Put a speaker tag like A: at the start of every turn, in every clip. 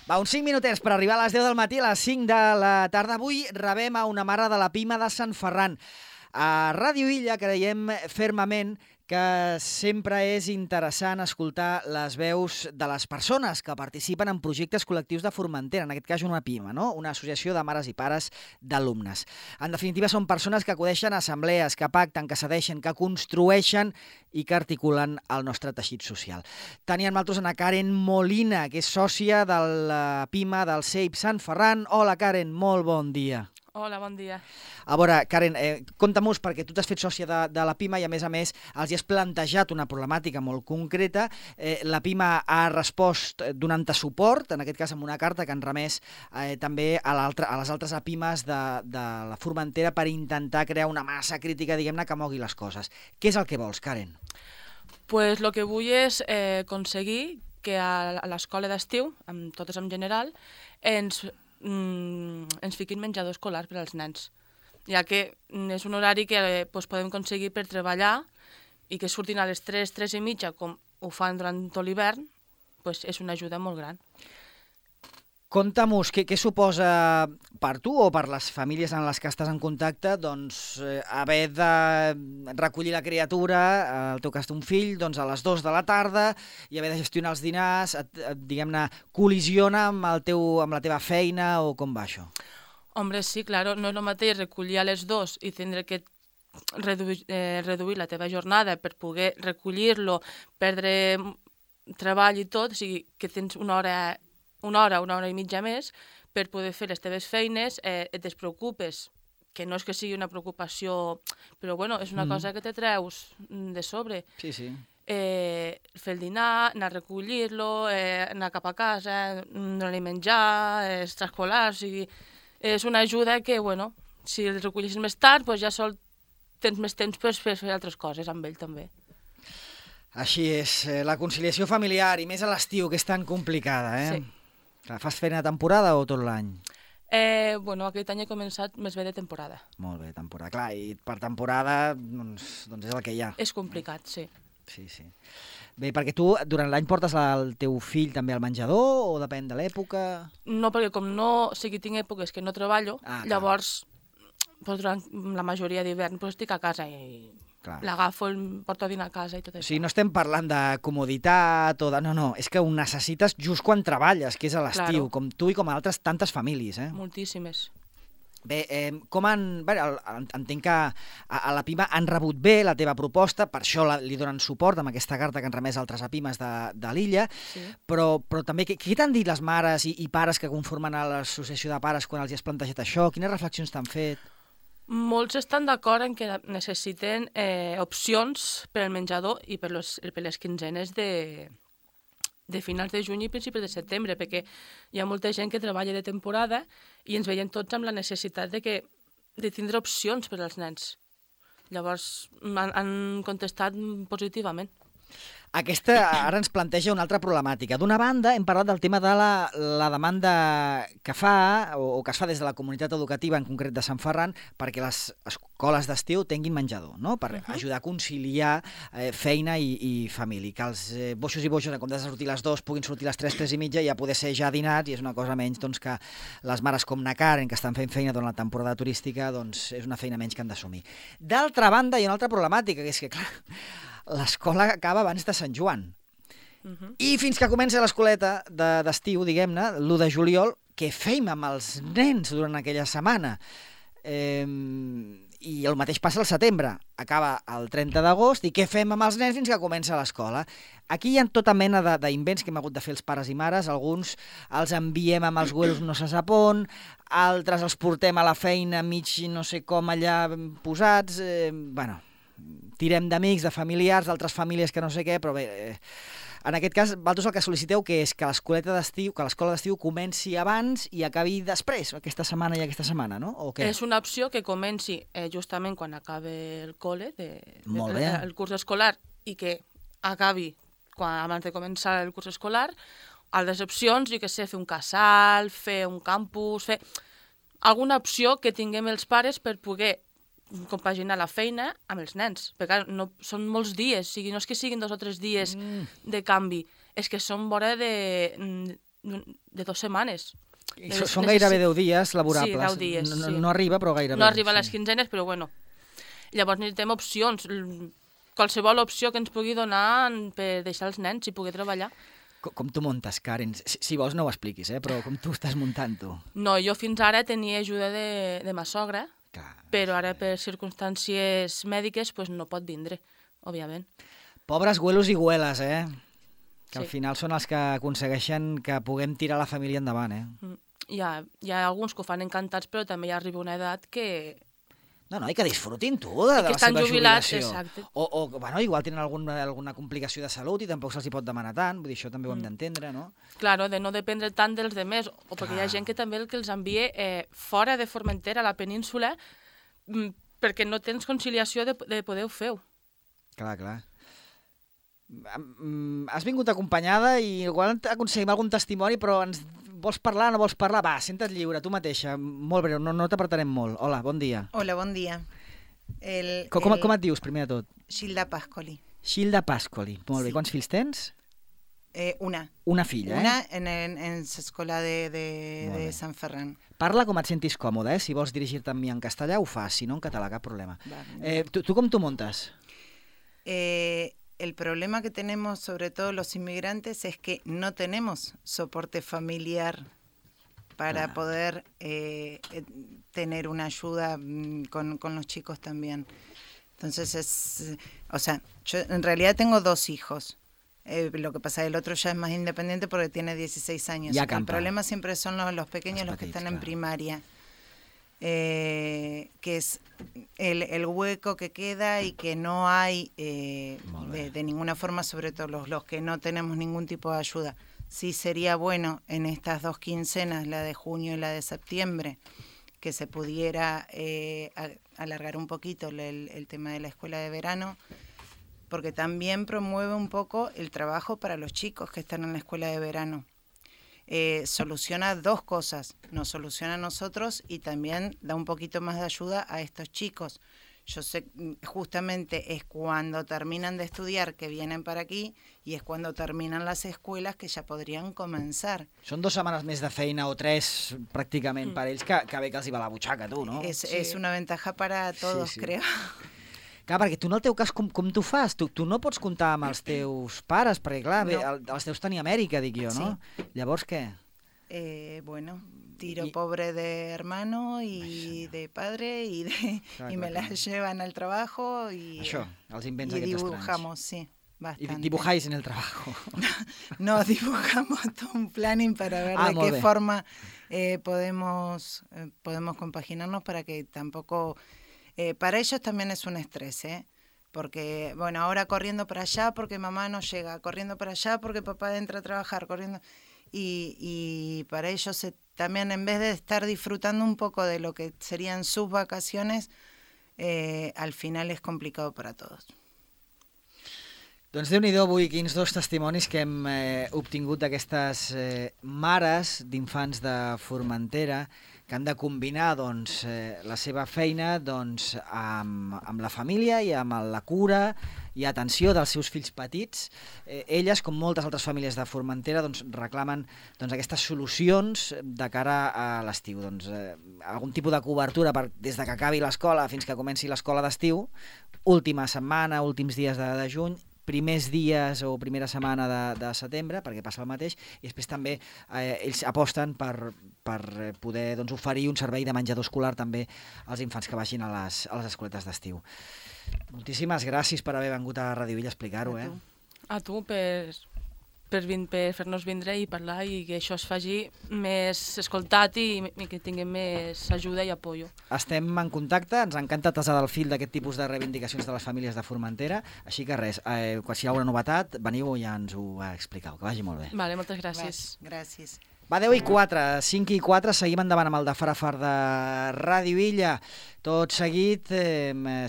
A: Va, uns 5 minutets per arribar a les 10 del matí, a les 5 de la tarda. Avui rebem a una mare de la Pima de Sant Ferran. A Ràdio Illa creiem fermament que sempre és interessant escoltar les veus de les persones que participen en projectes col·lectius de Formentera, en aquest cas una PIMA, no? Una associació de mares i pares d'alumnes. En definitiva, són persones que acudeixen a assemblees, que pacten, que cedeixen, que construeixen i que articulen el nostre teixit social. Tenim amb nosaltres a Karen Molina, que és sòcia de la PIMA del CEIP Sant Ferran. Hola, Karen, molt bon dia.
B: Hola, bon dia.
A: A veure, Karen, compta-mos, perquè tu t'has fet sòcia de la PIMA i, a més, els hi has plantejat una problemàtica molt concreta. La PIMA ha respost donant-te suport, en aquest cas amb una carta que han remès també a les altres PIMAs de la Formentera per intentar crear una massa crítica, diguem-ne, que mogui les coses. Què és el que vols, Karen?
B: Pues el que vull és aconseguir que a l'escola d'estiu, totes en general, ens fiquin menjador escolar per als nens, ja que és un horari que podem aconseguir per treballar i que surtin a les 3, 3 i mitja, com ho fan durant tot l'hivern, és una ajuda molt gran.
A: Conta'm-nos, què suposa per tu o per les famílies en les que estàs en contacte haver de recollir la criatura, en el teu cas un fill, a les 2 de la tarda i haver de gestionar els dinars, diguem-ne, col·lisiona amb la teva feina o com va això?
B: Hombre, sí, claro, no és el mateix recollir a les 2 i tindre que reduir la teva jornada per poder recollir-lo, perdre treball i tot, o sigui, que tens una hora i mitja més per poder fer les teves feines, et despreocupes, que no és que sigui una preocupació, però bueno, és una cosa que te treus de sobre.
A: Sí, sí.
B: Fer el dinar, anar a recollir-lo, anar cap a casa, donar-li menjar, extraescolar, o sigui, és una ajuda que, bueno, si el recollissis més tard, ja tens més temps per fer altres coses amb ell també.
A: Així és, la conciliació familiar, i més a l'estiu, que és tan complicada, eh?
B: Sí.
A: Fas feina de temporada o tot l'any?
B: Bueno, aquest any he començat més bé de temporada.
A: Molt bé, temporada. Clar, i per temporada, doncs és el que hi ha.
B: És complicat, sí.
A: Sí, sí. Bé, perquè tu durant l'any portes el teu fill també al menjador o depèn de l'època?
B: No, perquè com no, o sigui, tinc èpoques que no treballo, llavors, durant la majoria d'hivern, estic a casa i l'agafo, el porto a dinar a casa i tot això.
A: O sigui, no estem parlant de comoditat o de... No, és que ho necessites just quan treballes, que és a l'estiu, com tu i com altres tantes famílies, eh?
B: Moltíssimes.
A: Bé, entenc que a la PIMA han rebut bé la teva proposta, per això li donen suport amb aquesta carta que han remès altres PIMAs de l'illa, però també què t'han dit les mares i pares que conformen a l'associació de pares quan els has plantejat això? Quines reflexions t'han fet?
B: Molts estan d'acord en que necessiten opcions per al menjador i per les quinzenes de finals de juny i principis de setembre, perquè hi ha molta gent que treballa de temporada i ens veiem tots amb la necessitat de tindre opcions per als nens. Llavors han contestat positivament.
A: Aquesta ara ens planteja una altra problemàtica. D'una banda, hem parlat del tema de la demanda que fa, o que es fa des de la comunitat educativa, en concret de Sant Ferran, perquè les escoles d'estiu tinguin menjador, no? Per ajudar a conciliar feina i família. Que els boixos i boixos, en comptes de sortir a les 2, puguin sortir a les 3, 3 i mitja, i ja poder ser ja dinats, i és una cosa menys que les mares com na Karen, que estan fent feina durant la temporada turística, doncs és una feina menys que han d'assumir. D'altra banda, hi ha una altra problemàtica, que és que, clar, l'escola acaba abans de Sant Joan. I fins que comença l'escoleta d'estiu, diguem-ne, l'1 de juliol, què fem amb els nens durant aquella setmana? I el mateix passa al setembre. Acaba el 30 d'agost i què fem amb els nens fins que comença l'escola? Aquí hi ha tota mena d'invents que hem hagut de fer els pares i mares. Alguns els enviem amb els güeros no se sap on, altres els portem a la feina mig no sé com allà posats. Tirem d'amics, de familiars, d'altres famílies que no sé què, però bé, en aquest cas, vosaltres el que sol·liciteu que és que l'escola d'estiu comenci abans i acabi després, aquesta setmana i aquesta setmana, no? O què?
B: És una opció que comenci justament quan acabi el col·le, el curs escolar, i que acabi abans de començar el curs escolar. Altres opcions, jo què sé, fer un casal, fer un campus, fer alguna opció que tinguem els pares per poder compaginar la feina amb els nens, perquè no, són molts dies, no és que siguin 2 o 3 dies de canvi, és que són vora de de 2 setmanes.
A: I són gairebé 10 dies laborables.
B: Sí, 10 dies, sí.
A: No arriba, però gairebé.
B: No arriba a les quinzenes, però bueno. Llavors necessitem opcions. Qualsevol opció que ens pugui donar per deixar els nens i poder treballar.
A: Com tu muntes, Karen? Si vols no ho expliquis, però com tu estàs muntant tu?
B: No, jo fins ara tenia ajuda de ma sogra, però ara per circumstàncies mèdiques pues, no pot vindre, òbviament.
A: Pobres güelos i güeles, que al final són els que aconsegueixen que puguem tirar la família endavant,
B: Hi ha alguns que ho fan encantats, però també ja arriba una edat que...
A: No, i que disfrutin tu de la seva jubilació.
B: Exacte.
A: O bueno, igual tenen alguna complicació de salut i tampoc se'ls hi pot demanar tant, vull dir, això també ho hem d'entendre, no?
B: Claro, de no dependre tant dels demés, o perquè hi ha gent que també el que els envia fora de Formentera, a la península, perquè no tens conciliació de poder-ho fer.
A: Clar. Has vingut acompanyada i igual aconseguim algun testimoni, però ens vols parlar o no vols parlar? Va, senta't lliure, tu mateixa, molt breu, no t'apartarem molt. Hola, bon dia.
C: Hola, bon dia.
A: Com et dius, primer de tot?
C: Gilda Pascoli.
A: Gilda Pascoli, molt bé. Quants fills tens?
C: Una.
A: Una filla,
C: Una en l'escola de Sant Ferran.
A: Parla com et sentis còmode, Si vols dirigir-te amb mi en castellà, ho fas, si no en català, cap problema. Tu com t'ho muntes?
C: El problema que tenemos, sobre todo los inmigrantes, es que no tenemos soporte familiar para poder tener una ayuda con los chicos también. Entonces, yo en realidad tengo 2 hijos. Lo que pasa es que el otro ya es más independiente porque tiene 16 años. El problema siempre son los pequeños, los que están en primaria. Que es el hueco que queda y que no hay de ninguna forma, sobre todo los que no tenemos ningún tipo de ayuda. Sí sería bueno en estas 2 quincenas, la de junio y la de septiembre, que se pudiera alargar un poquito el tema de la escuela de verano, porque también promueve un poco el trabajo para los chicos que están en la escuela de verano. Soluciona 2 cosas, nos soluciona a nosotros y también da un poquito más de ayuda a estos chicos. Yo sé, justamente es cuando terminan de estudiar que vienen para aquí y es cuando terminan las escuelas que ya podrían comenzar.
A: Són 2 setmanes més de feina o 3 pràcticament per ells que bé que els hi va la butxaca, tu, no?
C: Es una ventaja para todos, creo.
A: Clar, perquè tu en el teu cas com t'ho fas? Tu no pots comptar amb els teus pares, perquè clar, els teus tenia Amèrica, dic jo, no? Sí. Llavors què?
C: Bueno, tiro pobre de hermano y de padre y me las llevan al trabajo y...
A: Això, els invents aquests estranys.
C: Y dibujamos, sí, bastante.
A: Y dibujáis en el trabajo.
C: No, dibujamos todo un planning para ver de qué forma podemos compaginarnos para que tampoco... para ellos también es un estrés, porque, bueno, ahora corriendo para allá porque mamá no llega, corriendo para allá porque papá entra a trabajar, corriendo... Y para ellos también, en vez de estar disfrutando un poco de lo que serían sus vacaciones, al final es complicado para todos.
A: Doncs Déu-n'hi-do avui, quins 2 testimonis que hem obtingut d'aquestes mares d'infants de Formentera que han de combinar la seva feina amb la família i amb la cura i atenció dels seus fills petits. Elles, com moltes altres famílies de Formentera, reclamen aquestes solucions de cara a l'estiu. Algun tipus de cobertura des que acabi l'escola fins que comenci l'escola d'estiu, última setmana, últims dies de juny, primers dies o primera setmana de setembre, perquè passa el mateix, i després també ells aposten per poder oferir un servei de menjador escolar també als infants que vagin a les escoletes d'estiu. Moltíssimes gràcies per haver vingut a Ràdio Villa a explicar-ho.
B: A tu per fer-nos vindre i parlar i que això es faci més escoltat i que tinguem més ajuda i apoyo.
A: Estem en contacte, ens encanta tasar del fil d'aquest tipus de reivindicacions de les famílies de Formentera, així que res, quan hi ha una novetat, veniu i ja ens ho expliqueu, que vagi molt bé.
B: Vale, moltes gràcies.
C: Gràcies.
A: Va, 10:04, 5:04, seguim endavant amb el de Farafar de Ràdio Illa. Tot seguit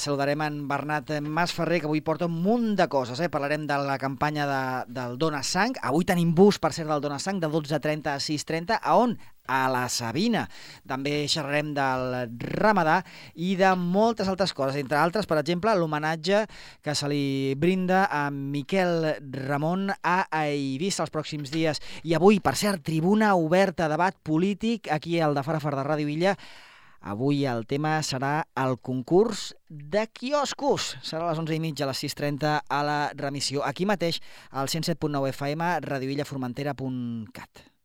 A: saludarem en Bernat Masferrer, que avui porta un munt de coses. Parlarem de la campanya del Dona Sang. Avui tenim bus, per cert, del Dona Sang, de 12:30 a 6:30. A on? a la Sabina. També xerrarem del Ramadà i de moltes altres coses, entre altres, per exemple, l'homenatge que se li brinda a Miquel Ramon a Eivissa els pròxims dies. I avui, per cert, tribuna oberta, debat polític, aquí al de Farafar de Ràdio Illa. Avui el tema serà el concurs de quioscos. Serà a les 11:30, a les 6:30 a la remissió. Aquí mateix, al 107.9 FM, radioillaformentera.cat.